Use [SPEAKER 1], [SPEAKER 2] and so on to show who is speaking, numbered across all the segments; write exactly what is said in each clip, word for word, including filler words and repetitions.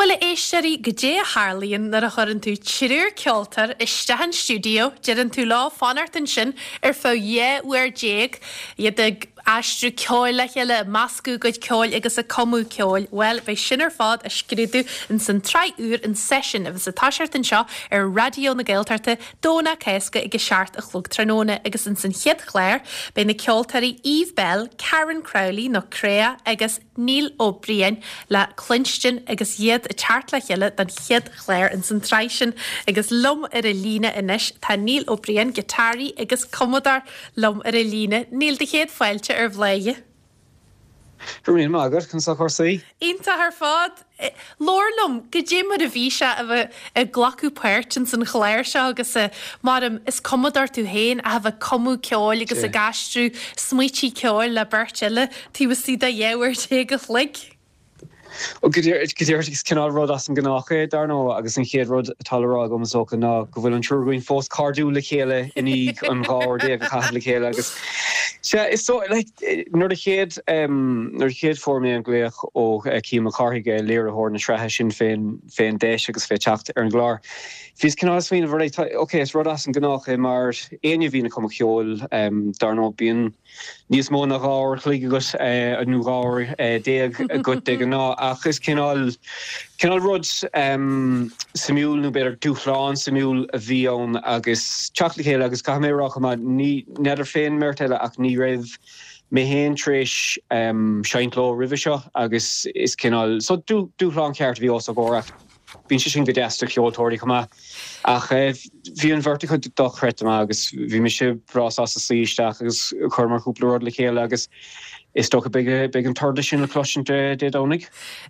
[SPEAKER 1] Bhuel a éisteoirí goidé a tharlaíonn nuair a chuireann tú triúr ceoltóir isteach an stiúideo, deireann tú leo fanacht ansin ar feadh dhá uair déag, iad ag aistriú ceoil le chéile, meascadh a gcuid ceoil agus ag cumadh ceoil. Bhuel, beidh sin ar fad á scrúdú in san tsraith úr an seisiún a bheas ag toiseacht anseo ar Raidió na Gaeltachta Domhnach Cásca ag a seacht a chlog tráthnóna agus in san chéad chlár beidh na ceoltóirí Eve Belle, Karen Crowley nó Crea agus Neil Ó Briain le cluinstin agus iad ag teacht le chéile don chéad chlár in san tsraith sin agus liom ar an líne anois tá Neil Ó Briain, giotáraí agus cumadóir liom ar an líne. Neil do chéad fáilte ar Bhladhaire.
[SPEAKER 2] Go raibh maith agat conas tá cúrsaí?
[SPEAKER 1] Iontach ar fad. Labhair liom goidé mar a bhí sé a bheith ag glacadh páirt in san chlár seo agus mar is cumadóir tú féin a bheith ag cumadh ceoil agus ag aistriú smaointe ceoil le beirt eile taobh istigh de dhá uair déag a chloig.
[SPEAKER 2] Go díreach is cineál rud as an ngnách é dar ndóigh agus an chéad rud atá le rá agam is dócha ná go bhfuil an triúr againn fós cairdiúil le chéile i ndiaidh an dhá uair déag a chaitheamh le chéile agus sea is so like nuair a chéad nuair a chéad fuair mé an glaoch ó Cian Mac Cárthaigh léiritheoir na sraithe sin fén fén deis agus fé teacht ar an gclár. Bhíos cineál ag smaoineamh right ok is rud as an ngnách é mar éinne a bhíonn ag cumadh ceoil dar ndóigh bíonn níos mó ná dhá uair a chloig agat nó dhá uair déag agat de ghnáth ach is cineál cineál rud suimiúil nó b'fhéidir dúshlán suimiúil a bhí ann agus teacht le chéile agus caithfidh mé a rá chomh maith ní n'fheadar fén mbeirt eile ach ní raibh mé féin tar éis seinnt leo roimhe seo agus is cineál so dúshlán ceart a bhí os ár gcomhair ach bíonn sé sin go deas do cheoltóirí chomh maith ach bhí an bheirt acu dochreidte maith agus bhí mise breá sásta suí isteach agus chuireamar cúpla rud le chéile agus is dócha beidh beidh an toradh sin le cloisint Dé Domhnaigh.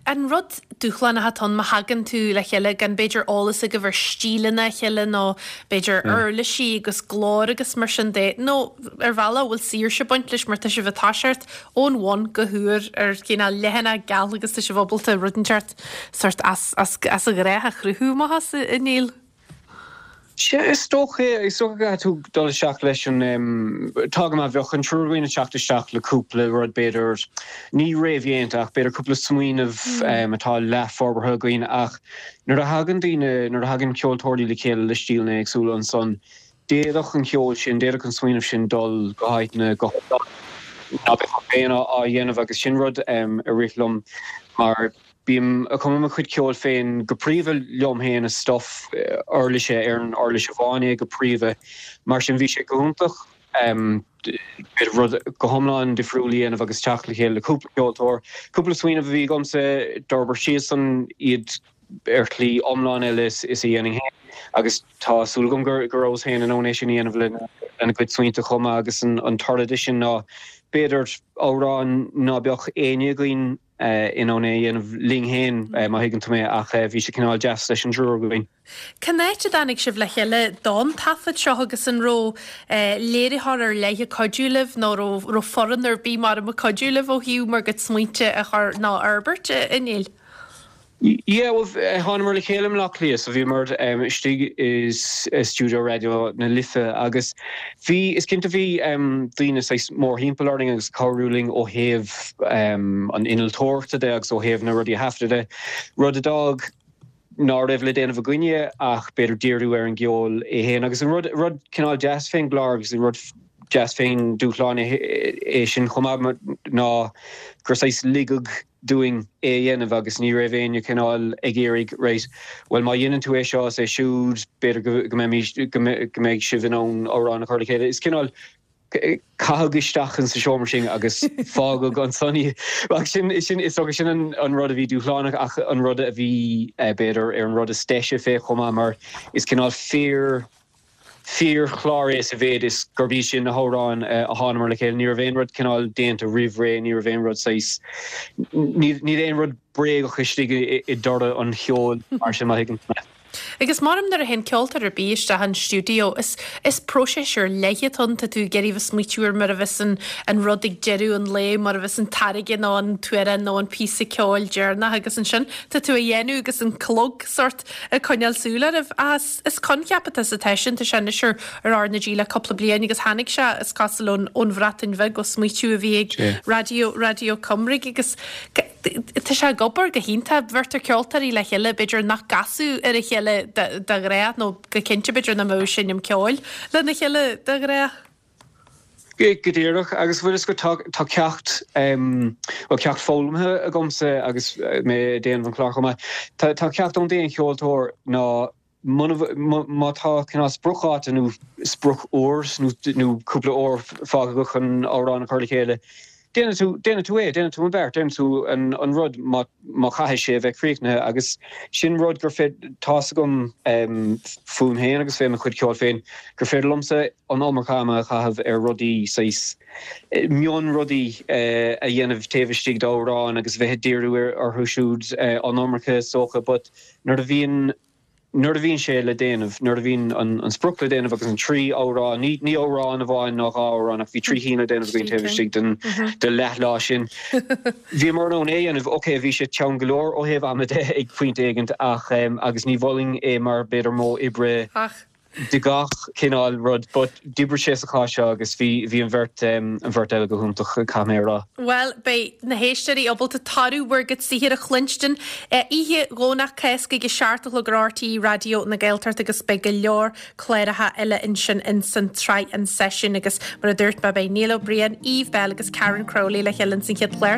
[SPEAKER 1] An rud dúshlánach atá ann má thagann tú le chéile gan b'fhéidir eolas agaibh ar stíleanna a chéile nó b'fhéidir uirlisí agus glór agus mar sin de nó ar bhealach bhfuil saoirse ag baint leis mar tá sibh ag toiseacht ón bhun go húr ar cineál leathanach geal agus tá sibh ábalta rud inteacht sort as as as an ghnách a chruthú amach as a Neil.
[SPEAKER 2] Sea is dócha is dócha go tú dul isteach leis an tá go maith bheadh an triúr againn ag teacht isteach le cúpla rud b'fhéidir ní réamhdhéanta ach b'fhéidir cúpla smaoineamh atá leathfhorbartha againn ach nuair a thagann daoine nuair a thagann ceoltóirí le chéile le stíleanna éagsúla ansan d'fhéadfadh an ceol sin d'fhéadfadh an smaoineamh sin dul go háiteanna go ná beadh féin á dhéanamh agus sin rud a rith liom mar bím ag cumadh mo chuid ceoil féin go príomha liom féin is stuff uirlise ar an uirlis amháin é go príomha mar sin bhí sé go hiontach rud go hiomlán difriúil a dhéanamh agus teacht le chéile le cúpla ceoltóir cúpla smaoineamh a bhí agamsa d'fhorbair siadsan iad ar shlí iomlán eile is is a dhéanfainn féin agus tá súil agam gur go rabhas féin in ann é sin a dhéanamh lena lena gcuid smaointe chomh maith agus an an toradh de sin ná b'fhéidir amhrán ná beadh éinne againn in ann é a dhéanamh linn féin má thuigeann tú mé ach bhí sé cineál deas leis an triúr againn.
[SPEAKER 1] Cén áit a dtáinig sibh le chéile don taifead seo agus an raibh léiritheoir ar leith ag cuidiú libh nó raibh raibh foireann ar bith mar ag cuidiú libh ó thaobh bhur gcuid smaointe a chur nó a fhorbairt a Neil?
[SPEAKER 2] Yeah, well thánamar le chéile i mBleá Cliath so bhíomar istigh i stiúideo Raidió na Life agus bhí is cinnte bhí daoine saghas mórthimpeall orainn agus cabhrú linn ó thaobh an innealtóireachta de agus ó thaobh na rudaí a thaifeadadh de. Rud a d'fhág ná raibh le déanamh againne ach b'fhéidir díriú ar an gceol é féin agus an rud rud cineál deas fén gclár agus an rud deas fén dúshlán é sin chomh maith ná gur saghas ligeadh dúinn é a dhéanamh agus ní raibh éinne cineál ag iarraidh right well má dhéanann tú é seo is é siúd b'fhéidir go mbeidh go mbeidh sibh in ann amhrán a chur le chéile. Is cineál caitheadh isteach in sa seomra sin agus fágadh ansan ach sin sin is dócha sin an an rud a bhí dúshlánach ach an rud a bhí b'fhéidir ar an rud is deise fé chomh maith mar is cineál fíor fíorchlár é sa mhéid is gurb iad sin na hamhráin a thánamar le chéile. Ní raibh aon rud cineál déanta roimh ré, ní raibh aon rud saghas níl aon rud bréagach istigh i dtoradh an cheoil mar sin má thuigeann tú mé.
[SPEAKER 1] Agus mar nuair a théann ceoltóir ar bith isteach an stiúideo is is próiseas ar leith atá ann tá tú ag iarraidh bheith smaoitiú ar mar a bheas an an rud ag deireadh an lae mar a bheas an táirge nó an t-amhrán nó an píosa ceoil deireanach agus ansin tá tú á dhéanamh agus an clog sort ag coinneáil súil oraibh as is coincheap atá sa sin tá sé anois ar ar R na G le cúpla bliain agus tháinig sé is cosúil ón ón Bhreatain Bheag ó smaoitiú a bhí ag Radio Radio Cymru agus Tá sé ag obair go hiontach bheirtear ceoltóirí le chéile b'fhéidir nach gcasfadh ar a chéile de ghnáth nó go cinnte b'fhéidir nach mbeadh ag seinm ceoil lena chéile de ghnáth.
[SPEAKER 2] Go díreach agus bhfuil go tá ceacht well ceacht foghlamtha agamsa agus mé ag déanamh an chlár chomh maith. Tá ceacht ón d'aon cheoltóir ná má tá cineál spriocdháta nó sprioc-uair nó cúpla uair fágtha chun amhrán a chur le chéile. Déanann tú déanann tú é, déanann tú an beart, déanann tú an, an rud má, má chaithfidh sé a bheith críochnaithe agus sin rud gur tá agam um, fúm féin agus fé mo chuid ceoil féin gur féidir liomsa an iomarca ama a chaitheamh ar rudaí saghas mion rudaí uh, a dhéanamh taobh istigh d'amhrán agus bheith díriú orthu siúd uh, an iomarca socha, but nuair a bhíonn nuair a bhíonn sé le déanamh nuair a bhíonn an, an sprioc le déanamh agus an trí amhrán ní ní amhrán amháin ná dhá amhrán ach bhí trí cinn le déanamh againn taobh istigh den de leathlá sin. Bhí mar an é aneh oké bhí sé teann go leor ó thaobh ama de ag pointe éigin ach um, agus ní mholfainn é mar b'fhéidir modh oibre de gach cineál rud, but d'oibrigh sé sa chás seo agus bhí bhí an bheirt um, an bheirt eile go hiontach caméra.
[SPEAKER 1] Well beidh na héisteoirí ábalta toradh bhur gcuid saothair a chluinstin oíche Dhomhnach Cásca ag a seacht a chlog ar RTÉ Raidió na Gaeltachta agus beidh go leor cláracha eile ansin in san tsraith an seisiún agus mar a dúirt mé beidh Niall Ó Briain, Eve Belle agus Karen Crowley le chéile san chéad chlár.